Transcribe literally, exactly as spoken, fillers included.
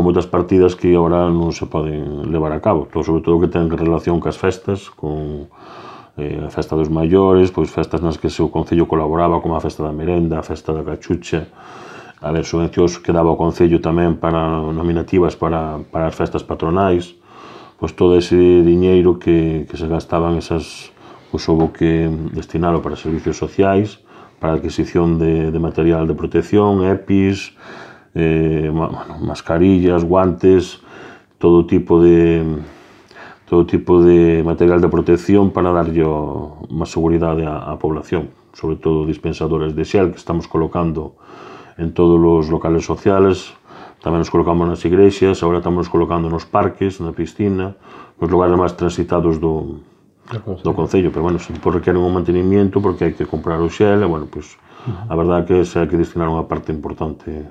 moitas partidas que agora non se poden levar a cabo, sobre todo que ten relación cas festas, con a festa dos maiores, pois festas nas que o Concello colaboraba, como a festa da merenda, a festa da cachucha, a ver, subvencións que daba o Concello tamén para nominativas para as festas patronais, pois todo ese diñeiro que se gastaban esas, pois houve que destinalo para servicios sociais, para a adquisición de material de protección, EPIs, mascarillas, guantes, todo tipo de todo tipo de material de protección para darlle má seguridade á población, sobre todo dispensadores de xel que estamos colocando en todos os locales sociales, tamén nos colocamos nas igrexas, agora estamos colocando nos parques, na piscina, nos lugares máis transitados do do Concello, pero, bueno, sempre requeren un mantenimiento porque hai que comprar o xel, e, bueno, pois, a verdade é que se hai que destinar unha parte importante